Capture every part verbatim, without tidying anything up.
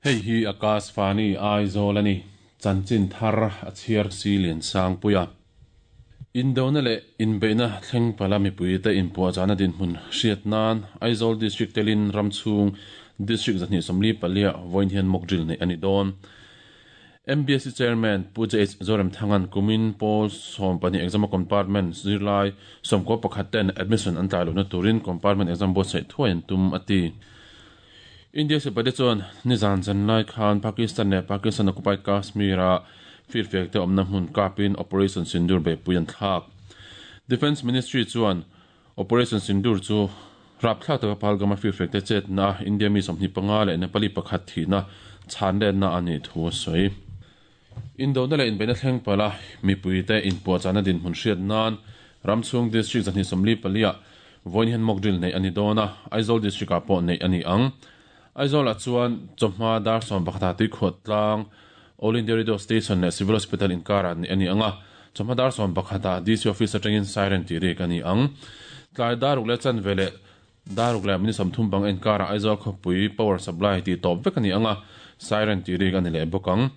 Hei hi Akashvani Aizawl ani chanchin thar a chhiar si lian sang puia Indona leh inbeihna thleng pala mipui te inpuahchahna dinhmun hriat nan Aizawl District telin ramchhung District zahnih sawmli palia vawiin hian mock drill neih ani dawn. M B S C Chairman Pu J H Zoremthangan kumin pawl sawm pahnih exam compartment zirlai sawmkaw pakhat ten admission an tlai lohna turin compartment exam buatsaih thuai an tum a ti. India sipai te chuan nizan zanlai khan Pakistan leh Pakistan occupied Kashmir a firfek te awmna hmun kapin Operation Sindoor beihpui an thlak. Defence Ministry chuan Operation Sindoor chu rapthlak taka Pahalgam-a firfek te chetna India mi sawmhnih panga leh Nepali pakhat thihna chhan lenna ani thu a sawi. Indona leh inbeihna thleng pala mipui te inpuahchahna dinhmun hriat nan ramchhung District zahnih sawmli palia vawiin hian mock drill neih ani dawn a, Aizawl District ah pawh neih ani ang. Aizawl ah chuan chawhma dar sawm pakhat ah tuikhuah tlang All India Radio Station leh Civil Hospital inkar ah neih ani ang a, chawhma dar sawm pakhat ah D C Office atangin siren tih rik ani ang. Tlai daruk leh chanve leh daruk leh mini sawmthum bang inkar ah Aizawl khawpui power supply tih tawp vek ani ang a, siren tih rik ani leh bawk ang.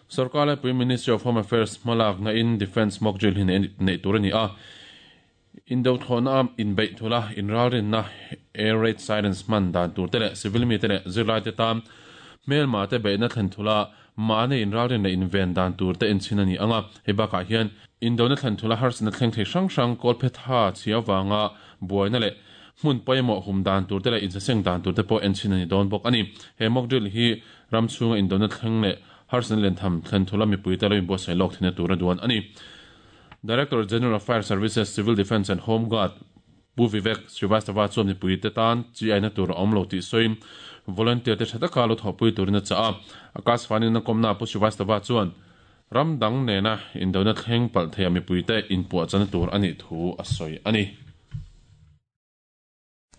Sarkar laipui Ministry of Home Affairs hmalak na in Defence mock drill hi neih tur ani a, Indo thlawhna inbeih thula inralrinna air raid sirens hman dan tur te leh civil mi te leh zirlai te tan hmelma te beihna thlen thula mahni inralrin leh inven dan tur te enchin ani ang a. Hei bakah hian Indona thlen thula harsatna thleng thei hrang hrang kawl phe tha chhia vanga buaina leh hmun pawimawh hum dan tur te leh insaseng dan tur te pawh enchin ani dawn bawk ani. He mock drill hi ram chhunga Indona thleng leh harsatna len tham thlen thula mipui te lo inbuatsaih lawk theihna tur a duan ani. Director General of Fire Services, Civil Defence and Home Guard Pu Vivek Srivastava chuan mipui te tan chi aina tur a awm lo tih sawiin volunteer te tha taka lo thawhpui turin a chah a. Akashvani na kawmna Pu Srivastava chuan ram dang nena Indona thleng palh theia mipui te inpuahchahna tur anih thu a sawi ani.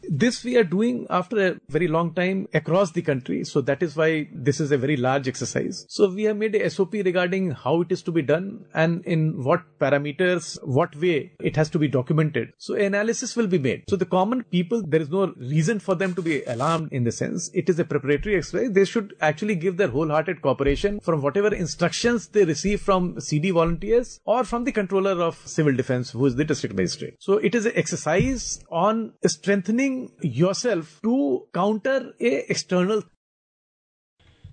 This we are doing after a very long time across the country. So that is why this is a very large exercise. So we have made a S O P regarding how it is to be done and in what parameters, what way it has to be documented. So analysis will be made. So the common people, there is no reason for them to be alarmed in the sense. It is a preparatory exercise. They should actually give their wholehearted cooperation from whatever instructions they receive from C D volunteers or from the controller of civil defense, who is the district magistrate. So it is an exercise on strengthening yourself to counter a external.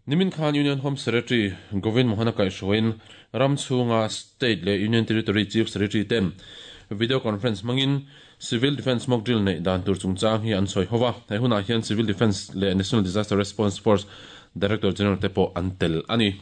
Nimin Khan Union Home Secretary Govind Mohana Kaishoin Ramchunga State le Union Territory Chief Secretary ten video conference mangin Civil Defence mock drill nei dan tur chungchang hi an soi howa. Hei hunah hian Civil Defence le National Disaster Response Force Director General te pawh an tel ani.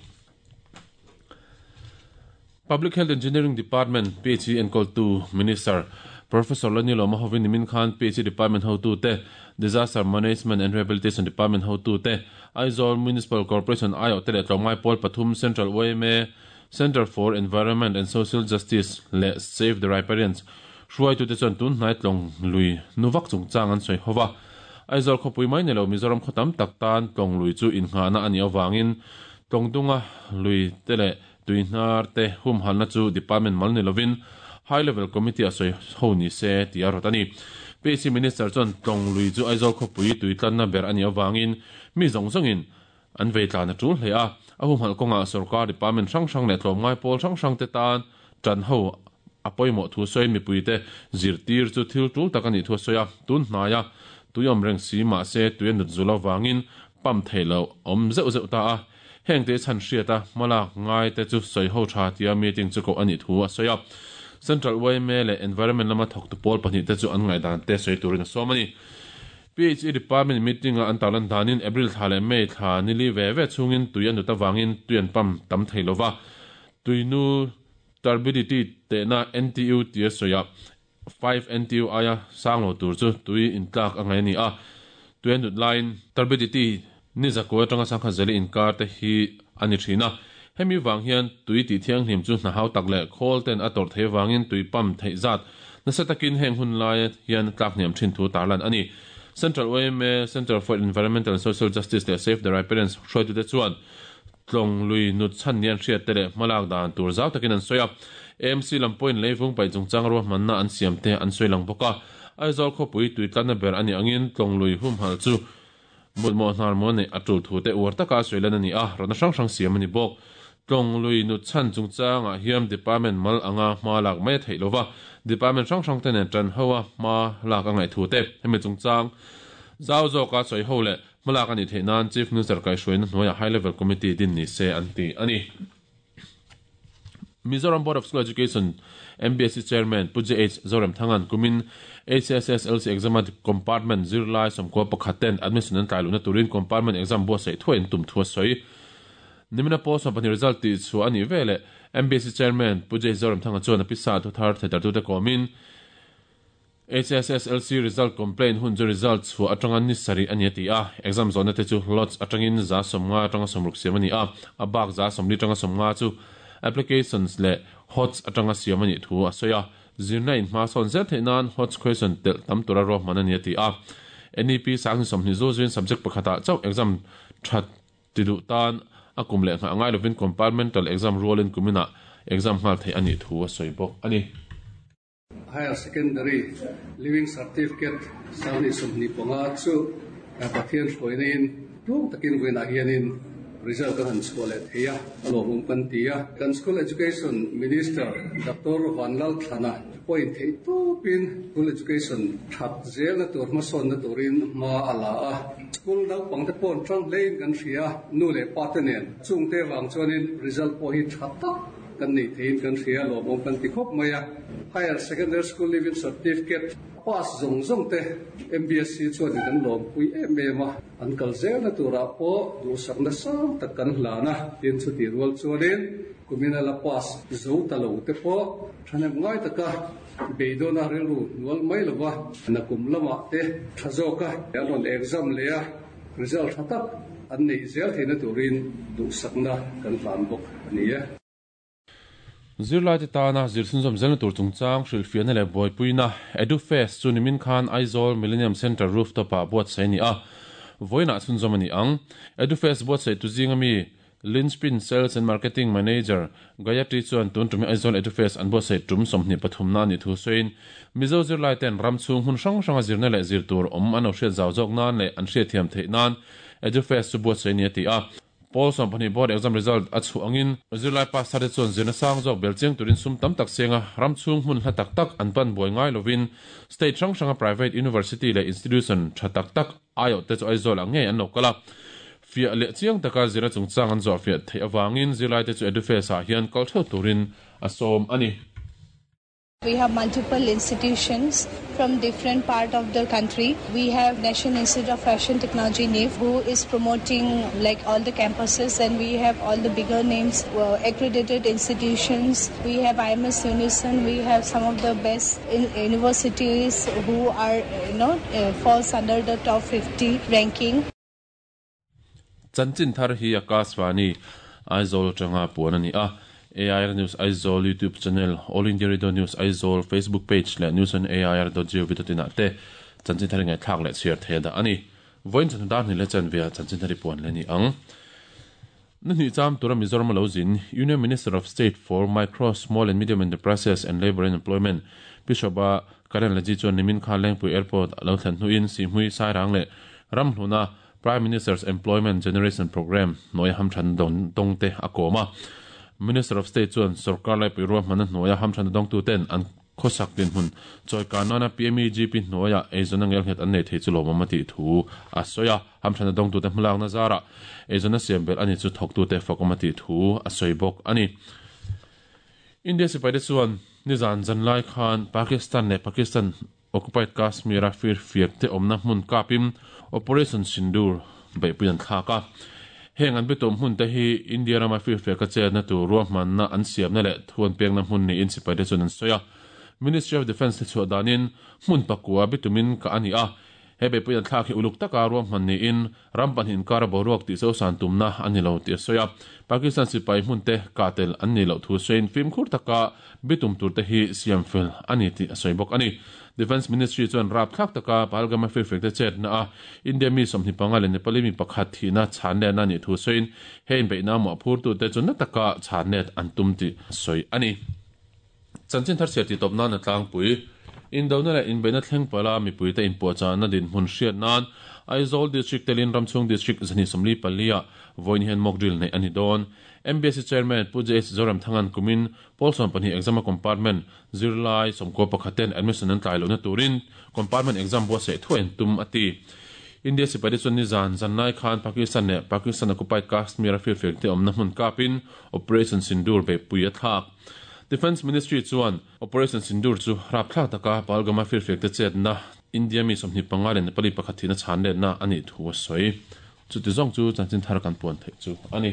Public Health Engineering Department P H E enkawl tu Minister Professor Lanilo Mahovin Nimin Khan P H E Department hotu te Disaster Management and Rehabilitation Department hotu te Aizawl Municipal Corporation I O te leh tlawmngai pawl pathum Central O M A Center for Environment and Social Justice leh Save the Riparians hruai tu te chuan tun hnai tlawng lui nuwak chungchang an sawi howa. Aizawl khawpui mai nilo Mizoram khawtam tak tan tlawng lui chu inngahna ani awangin tlawng dunga lui te leh tuihnar te hum halna chu department mal ni lovin High Level Committee a sawi ho ni se ti a rawt ani. P H E Minister chuan tlawng lui chu Aizawl khawpui tuitlanna ber ani awangin mi zawng zawngin an veitlan a tul hle a. A hum hal kawnga sarkar department hrang hrang leh tlawmngai pawl hrang hrang te tan tan ho a pawimawh thu sawi mipui te zirtir chu thil tul tak ani thu a sawi a. Tun hnaia tuiawm reng si mah se tui a nut zul awangin pam theih awm zeuh zeuh ta a. Heng te chan hriat a hmalak ngai te chu sawi ho tha tia meeting chu ko ani thu a sawi a. Central O M A leh Environment lama thawk tu pawl pahnih te chu an ngai dan te sawi turin a sawm ani. P H E Department meeting a an tarlan danin April thla leh May thla nili ve ve chungin tui an nut awangin tui an pam tam thei lova. Tuinu turbidity te na N T U tia sawi a five N T U aia sang lo tur chu tui intlak a ngai ani a. Tui an nut laiin turbidity ni zakua atanga sangkhat zeli inkar te hi ani thina. Hemi wang hian tui ti thiang hlim chu hna hau tak leh khawl ten a tawrh thei wangin tui pam theih zat nasa takin heng hun lai hian tlak hniam thin thu tarlan ani. Central O M A Center for Environmental and Social Justice leh Save the Riparians hruai tu te chuan tlawng lui nut chan nian hriat te leh hmalak dan tur zau takin an sawi a. A M C lam point leivung paih chungchang ruahmanna an siam te an sawi lang bawk a. Aizawl khawpui tuitlanna ber ani angin tlawng lui hum hal chu Mut mo hnar mo nei atul thu te uar taka soilan ani a rona hrang hrang siam ani bawk tlong lui nu chan chungchang a hiam department mal anga hma lak mai thei lova department hrang hrang te nen tan hoa hma lak angai thu te hemi chungchang zau zo ka soi ho le hmalak ani thei nan Chief Minister kai hruaina hnuaia High Level Committee din ni se an ti ani. Mizoram Board of School Education M B S C Chairman Pu J H Zoram Thangan kumin H S S L C exam compartment zirlai somkua pakhat ten admission an tlai luna turin compartment exam bo sei thuin tum thua soi nimina post pani result ti chu ani vele M B S C Chairman Pu J Zoram Thanga chuan apisa thu thar thetar tu te komin H S S L C result complaint hun chu result chu atanga ni sari ani ti a exam zone te chu lots atangin za somnga atanga somruk siam ani a abak za somli atanga somnga chu applications le hots atanga siam ani thu a soya zirna in hma son zel theinan hots question tel tam tura ro man ani ti a N E P sang somni zo zin subject pakhata chau exam that tidu tan akum le nga ngai lovin compartmental exam role in kumina exam ngal thei ani thu a soi bok ani. Higher secondary living certificate sani somni panga chu pathian hroinin tum takin wena hianin result kan han chhuale theia alo hum kan tia kan school education minister Doctor Vanlal Thana point thei tu pin school education that zel na tur ma son na turin ma ala a school dau pangte pon tang lein kan hria nu le pa te nen chungte wang chuanin result po hi that tak kan nei thein kan hria lo mom kan ti khop maya higher secondary school living certificate pass zong zong te M B S C chuan kan lom pui em em a an kal zel na tura po du sak na sang tak kan hlana tin chu ti rual chuanin kumina la pass zo ta lo te po thanem ngai taka beidona rilu nual mai lova na kum lama te thazoka an exam le a result thatak an nei zel theina turin du sakna kan hlan bok ani e. Zirlai te tana zirsun zom zelna tur chungchang hrilhfiahna leh buaipuina EduFest chu nimin khan Aizawl Millennium Center rooftop ah buatsaih ani a vawiinah chhunzawm ani ang. EduFest buatsaih tu zinga mi Linspin Sales and Marketing Manager Gayatri chuan tun tumi Aizawl EduFest an buatsaih tum sawmhnih pathumna ani thu sawiin Mizo zirlai ten ram chhung hun hrang hranga zirna leh zir tur awm an lo hriat zau zawk nan leh an hriat thiam theih nan EduFest chu buatsaih ani a ti a. Paul Sompani board exam result a chu angin zirlai pass thar te chuan zirna sang zawk bel chiang turin sum tam tak senga ram chhung hmun hla tak tak an pan buai ngai lovin state hrang hranga private university leh institution tha tak tak aio te chu Aizawl ang ngei an lo kala fiah leh chiang taka zirna chungchang an zawh fiah theih awangin zirlai te chu EduFest ah hian kal theuh turin a sawm ani. We have multiple institutions from different part of the country. We have National Institute of Fashion Technology, N I F, who is promoting like all the campuses, and we have all the bigger names, uh, accredited institutions. We have I M S Unison. We have some of the best in universities who are, you know, uh, falls under the top fifty ranking. Chanchin thar hi Akashvani Aizawl tanga puan ani a. A I R News Aizawl YouTube channel, All India Radio News Aizawl Facebook page le news on A I R dot gov dot in te chanchin thar ngai thak le share the da ani voin chan dar ni le chan via chanchin thari puan le ni ang ni cham tura Mizoram lo zin Union Minister of State for Micro Small and Medium Enterprises and Labor and Employment Pishoba Karen Laji chuan nimin khan Lengpui Airport lo thlen hnuin si hmui sairang le ramhluna Prime Minister's Employment Generation Program noi hamthan don dongte akoma Minister of State chuan sarkar lai puiruam hmana hnuaia hamthan dong tu ten an khosak din hun choi kanana P M E G P hnuaia eizona ngel nghet an nei thei chu lawm ti thu a soya hamthan dong tu te hmulak na zara eizona siam bel ani chu thok tu te fakoma ti thu a soi bok ani. India sipai te chuan nizan zanlai khan Pakistan le Pakistan occupied Kashmir a fir fiak te omna hmun kapim Operation Sindoor beipuian thlaka heng an bitum hun te hi India rama fir fiak a che na tu ruahman na an siam na le thuan pek na hmun ni in sipai te chuan an soya Ministry of Defence te chu danin hmun pakua bitumin ka ani a he beipuian thlak hi uluk taka ruahman ni in rampan hin kar boruak ti so san tumna ani lo ti soya Pakistan sipai hmun te katel an ni lo thu sein fim khur taka bitum tur te hi siam fel ani ti soi bok ani. Defense Ministry chuan rap thlak taka Pahalgam fir fek te chet na a India mi somni panga le Nepali mi pakhat thi na chan le na ni thu soin hein beina mo phur tu te chu na taka chan net an tum ti soi ani. Chanchin thar ti top na na tlang pui Indona la in beina thleng pala mi pui te in po cha na din hun hriat nan Aizawl District telin Ramchhung District zahnih sawmli pali ah vawiin hian mock drill neih a ni dawn. M B S C Chairman Pu J H Zoramthanga'n kumin pawl sawmpahnih exam a compartment zirlai sawmkua pakhat ten admission an tlai lohna turin compartment exam buatsaih thuai an tum a ti. India sipai te chuan nizan zanlai khan Pakistan leh Pakistan occupied Kashmir a firfiak te awmna hmun kapin Operation Sindoor beihpui a thlak. Defence Ministry chuan Operation Sindoor chu rapthlak taka Pahalgam a firfiak te chetna India mi sawmhnih panga leh Nepali pakhat thihna chhan letna a nih thu a sawi. Chuti zawng chu chanchin thar kan puan theih chu a ni.